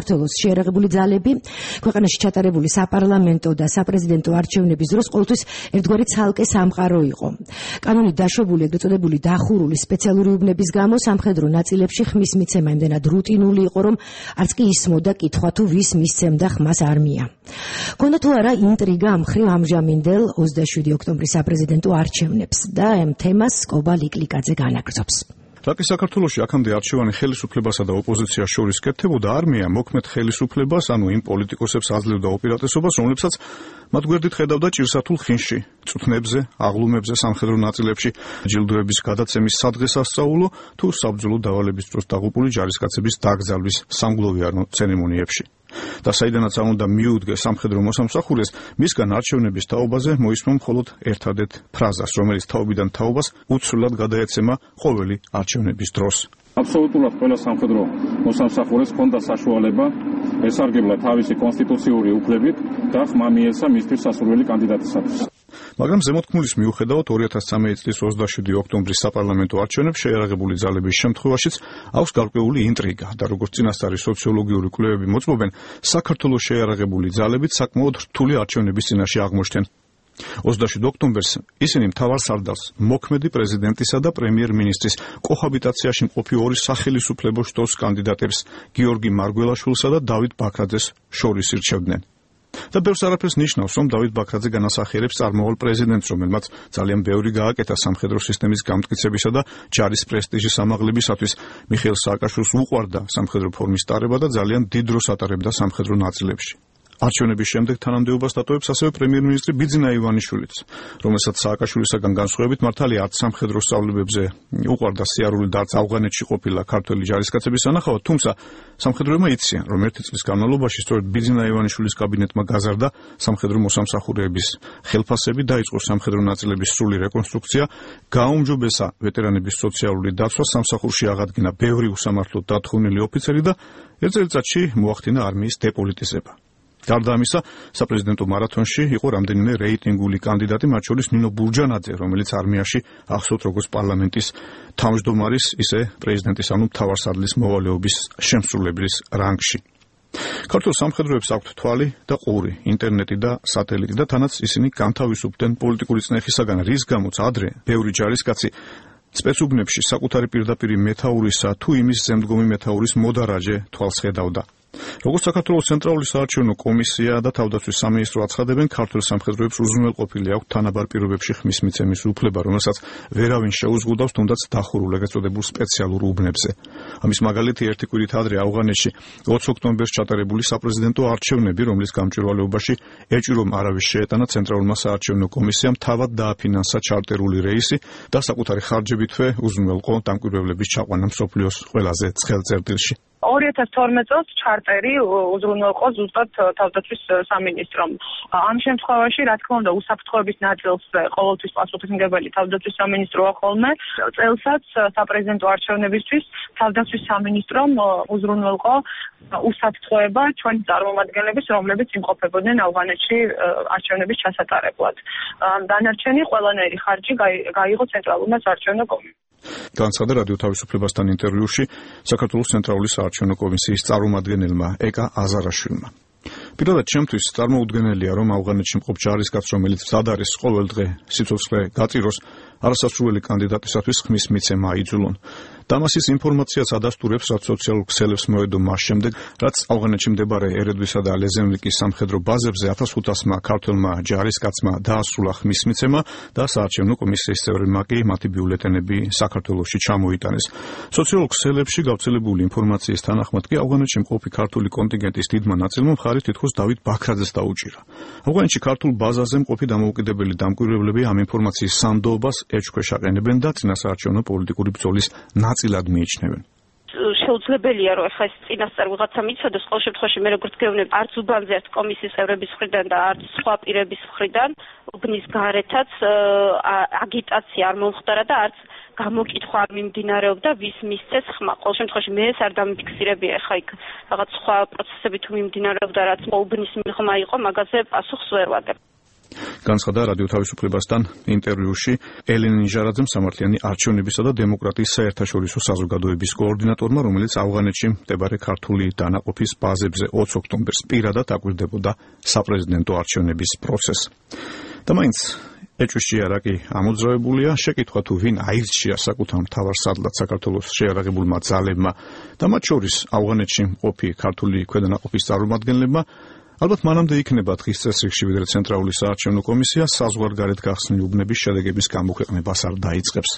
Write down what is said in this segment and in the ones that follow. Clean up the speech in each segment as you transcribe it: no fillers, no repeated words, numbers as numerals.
საქართველოს შეიარაღებული ძალები ქვეყანაში ჩატარებული საპარლამენტო და საპრეზიდენტო არჩევნების დროს ყოველთვის ერთგვარი ცალკე სამყარო იყო. კანონით დაშვებული ეგრეთ წოდებული დახურული სპეციალური უბნების გამო სამხედრო ნაწილებში ხმის მიცემა იმდენად რუტინული იყო, რომ არც კი ისმოდა კითხვა თუ ვის მისცემდა ხმას არმია. ქონდა თუ არა ინტრიგა ამ მხრივ ამჟამინდელ 27 ოქტომბრის საპრეზიდენტო არჩევნებს და ამ თემას კობა ლიკლიკაძე განაგრძობს. რაკი საქართველოში აქამდე არჩევანი ხელისუფლებასა და ოპოზიციას შორის კეთდებოდა, არმია მოქმედ ხელისუფლებას, ანუ იმ პოლიტიკოსებს აძლევდა უპირატესობას, რომლებსაც მათ გვერდით ხედავდა ჭირსათულ ხინში, წუთნებზე, აღლუმებზე, სამხედრო ნაწილებში, ჯილდოების გადაცემის სადღესასწაულო თუ საბრძოლო დავალების დროს დაღუპული ჯარისკაცების დაკრძალვის სამგლოვიარო ცერემონიებში. და საიდანაც არ უნდა მიუდგეს სამხედრო მოსამსახურეს, მისგან არჩევნების თაობაზე მოისმა მხოლოდ ერთადერთ ფრაზას, რომელიც თაობიდან თაობას უცვლელად გადაეცემა ყოველი არჩევნების დროს. აბსოლუტურად ყველა სამხედრო მოსამსახურეს ჰქონდა საშუალება ესარგებლა თავისი კონსტიტუციური უფლებით და ხმა მიეცა მისთვის სასურველი კანდიდატისათვის. მაგრამ ზემოთქმულის მიუხედავად 2013 წლის 27 ოქტომბრის საპარლამენტო არჩევნებს შეიარაღებული ძალების შემთხვევაშიც აქვს გარკვეული ინტრიგა და როგორც წინასწარი სოციოლოგიური კვლევები მოწმობენ, საქართველოს შეიარაღებული ძალებით საკმაოდ რთული არჩევნების წინაშე აღმოჩნდნენ. 27 ოქტომბერს ისინი მთავარ სარდალს, მოქმედი პრეზიდენტისა და პრემიერ-მინისტრის კოჰაბიტაციაში მყოფი ორი სახელისუფლებო შტოს კანდიდატებს, გიორგი მარგველაშვილსა და დავით ბაქრაძეს შორის ირჩევდნენ. და ბევრს არაფერს ნიშნავს, რომ დავით ბაქრაძე განასახიერებს წარმოვალ პრეზიდენტს, რომელმაც ძალიან ბევრი გააკეთა სამხედრო სისტემის გამტკიცებისა და ჯარის პრესტიჟის ამაღლებისათვის. მიხეილ სააკაშვილს უყვარდა სამხედრო ფორმის ტარება და ძალიან დიდ დროს ატარებდა სამხედრო ნაწილებში. არჩევნების შემდეგ თანამდებობას დატოვებს ასევე პრემიერ-მინისტრი ბიძინა ივანიშვილიც, რომელსაც სააკაშვილისაგან განსხვავებით მართალია არც სამხედრო სწავლებებზე უყვარდა სიარული და არც ავღანეთში ყოფილა ქართველი ჯარისკაცების სანახავად, თუმცა სამხედროებმა იციან, რომ ერთი წლის განმავლობაში სწორედ ბიძინა ივანიშვილის კაბინეტმა გაზარდა სამხედრო მოსამსახურეების ხელფასები, დაიწყო სამხედრო ნაწილების სრული რეკონსტრუქცია, გააუმჯობესა ვეტერანების სოციალური დაცვა, სამსახურში აღადგინა ბევრი უსამართლოდ დათხოვნილი ოფიცერი და ერთ წელიწადში მოახდინა არმიის დეპოლიტიზება. გარდა ამისა, საპრეზიდენტო მარათონში იყო რამდენიმე რეიტინგული კანდიდატი, მათ შორის ნინო ბურჯანაძე, რომელიც არმიაში ახსოვთ როგორც პარლამენტის თავმჯდომარის, ისე პრეზიდენტის, ანუ მთავარსარდლის მოვალეობის შემსრულებლის რანგში. ქართულ სამხედროებს აქვთ თვალი და ყური, ინტერნეტი და სატელიტი და თანაც ისინი განთავისუფლდნენ პოლიტიკური წნეხისაგან, რის გამოც ადრე ბევრი ჯარისკაცი სპეცუბნებში საკუთარი პირდაპირი მეთაურისა თუ იმის ზემდგომი მეთაურის მოდარაჯე თვალს ხედავდა. როგორც საქართველოს ცენტრალური საარჩევნო კომისია და თავდაცვის სამინისტრო აცხადებენ, ქართულ სამხედროებს უზრუნველყოფილი აქვთ თანაბარ პირობებში ხმის მიცემის უფლება, რომელსაც ვერავინ შეუზღუდავს, თუნდაც დახურულ ეგრეთ წოდებულ სპეციალურ უბნებზე. ამის მაგალითი ერთი კვირით ადრე ავღანეთში 20 ოქტომბერს ჩატარებული საპრეზიდენტო არჩევნები, რომლის გამჭვირვალეობაში ეჭვი რომ არავის შეეტანა ცენტრალურმა საარჩევნო კომისიამ თავად დააფინანსა ჩარტერული რეისი და საკუთარი ხარჯებითვე უზრუნველყო დამკვირვებლების ჩაყვანა მსოფლიოს ყველაზე ცხელ წერტილში. 2012 წელს ჩარტერი უზრუნველყო ზუსტად თავდაცვის სამინისტრომ. ამ შემთხვევაში, რა თქმა უნდა, უსაფრთხოების ნაწილს ყოველთვის პასუხისმგებელი თავდაცვის სამინისტროა ხოლმე. წელსაც საპრეზიდენტო არჩევნებისთვის თავდაცვის სამინისტრომ უზრუნველყო უსაფრთხოება ჩვენი წარმომადგენლების, რომლებიც იმყოფებოდნენ ავღანეთში არჩევნების ჩასატარებლად. დანარჩენი ყველანაირი ხარჯი გაიღო ცენტრალურმა საარჩევნო კომისიამ. განცხადა რადიო თავისუფლებასთან ინტერვიუში საქართველოს ცენტრალური საარჩევნო კომისიის წარმომადგენელმა ეკა აზარაშვილმა. პირადად ჩემთვის წარმოუდგენელია, რომ ავღანეთში მყოფ ჯარისკაცს, რომელიც მზად არის ყოველ დღე სიცოცხლე გაწიროს, არასასურველი კანდიდატისათვის ხმის მიცემა აიძულონ. დამასის ინფორმაციას ადასტურებს, რაც სოციალურ ქსელებს მოედო მას შემდეგ, რაც ავღანეთში მდებარე ერედვისა და ლეზენლიკის სამხედრო ბაზებზე 1500-მა ქართველმა ჯარისკაცმა დაასრულა ხმის მიცემა და საარჩევნო კომისიის წევრებმა კი მათი ბიულეტენები საქართველოში ჩამოიტანეს. სოციალურ ქსელებში გავრცელებული ინფორმაციის თანახმად კი ავღანეთში მყოფი ქართული კონტინგენტის დიდმა ნაწილმა მხარი თითქოს დავით ბაქრაძეს დაუჭირა. ავღანეთში ქართულ ბაზაზე მყოფი დამოუკიდებელი დამკვირვებლები ამ ინფორმაციის სანდოობას ეჭვქვეშ აყენებენ და წინასაარჩევნო პოლიტიკური ბრძოლის ნაწილად მიიჩნევენ. შეუძლებელია, რომ ახლა ეს წინასწარ ვიღაცა მიცადოს, ყოველ შემთხვევაში მე როგორც გეუბნები, არც უბანზე არც კომისიის წევრების მხრიდან და არც სხვა პირების მხრიდან უბნის გარეთაც აგიტაცია არ მომხდარა და არც გამოკითხვა არ მიმდინარეობდა, ვის მისცეს ხმა. ყოველ შემთხვევაში მე ეს არ დამიფიქსირებია, ახლა იქ რაღაც სხვა პროცესები თუ მიმდინარეობდა, რაც უბნის მიღმა იყო, მაგაზე პასუხს ვერ ვაგებ. განცხადა რადიო თავისუფლებასთან ინტერვიუში ელენე ნიჟარაძემ, სამართლიანი არჩევნებისა და დემოკრატიის საერთაშორისო საზოგადოების კოორდინატორმა, რომელიც ავღანეთში მდებარე ქართული დანაყოფის ბაზებზე 20 ოქტომბერს პირადად აკვირდებოდა საპრეზიდენტო არჩევნების პროცესს. და მაინც ეჭვში იარაკი ამოძრავებულია, შეკითხვა თუ ვინ აირჩია საკუთარ მთავარ სადლად საქართველოს შეიარაღებულმა ძალებმა და მათ შორის ავღანეთში მყოფი ქართული ქვედანაყოფის წარმომადგენლებმა, ალბათ მანამდე იქნება დღის წესრიგში, ვიდრე ცენტრალური საარჩევნო კომისია საზღვარგარეთ გახსნილი უბნების შედეგების გამოქვეყნებას არ დაიწყებს.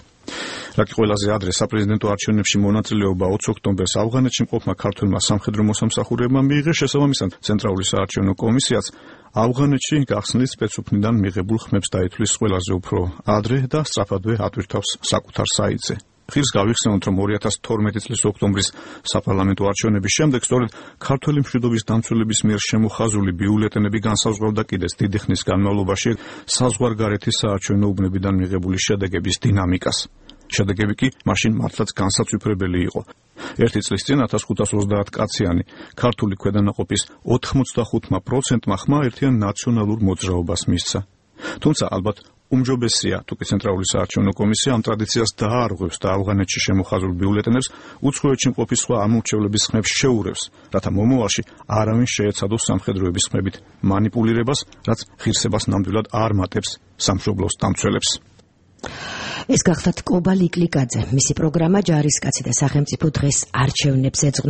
რაკი ყველაზე ადრე საპრეზიდენტო არჩევნებში მონაწილეობა 20 ოქტომბერს ავღანეთში მყოფმა ქართველმა სამხედრო მოსამსახურეებმა მიიღეს, შესაბამისად ცენტრალური საარჩევნო კომისიაც ავღანეთში გახსნილი სპეცუფნიდან მიღებულ ხმებს დაითვლის ყველაზე უფრო ადრე და სწრაფადვე ატვირთავს საკუთარ საიტზე. ხილს გავიხსენოთ, რომ 2012 წლის ოქტომბრის საპარლამენტო არჩევნების შემდეგ სწორედ ქართველი მშვიდობის დამცველების მიერ შემოხაზული ბიულეტენები განსაზღვრავდა კიდეც დიდი ხნის განმავლობაში საზღვარგარეთის საარჩევნო უბნებიდან მიღებული შედეგების დინამიკას. შედეგები კი მაშინ მართლაც განსაცვიფრებელი იყო. ერთი წლის წინ 1530 კაციანი ქართული ქვედანაყოფის 85%-მა ხმა ერთიან ნაციონალურ მოძრაობას მისცა. თუმცა ალბათ უმჯობესია, თუ კი ცენტრალური საარჩევნო კომისია ამ ტრადიციას დაარღვევს და ავღანეთში შემოხაზულ ბიულეტენებს უცხოეთში მყოფი სხვა ამორჩევლების ხმებს შეურევს, რათა მომავალში არავინ შეეცადოს სამხედროების ხმებით მანიპულირებას, რაც ღირსებას ნამდვილად არ მატებს სამშობლოს დამცველებს. ეს გახლავთ კობა ლიკლიკაძე. მისი პროგრამა ჯარისკაცი და სახელმწიფო დღეს არჩევნებს ეძღვნება.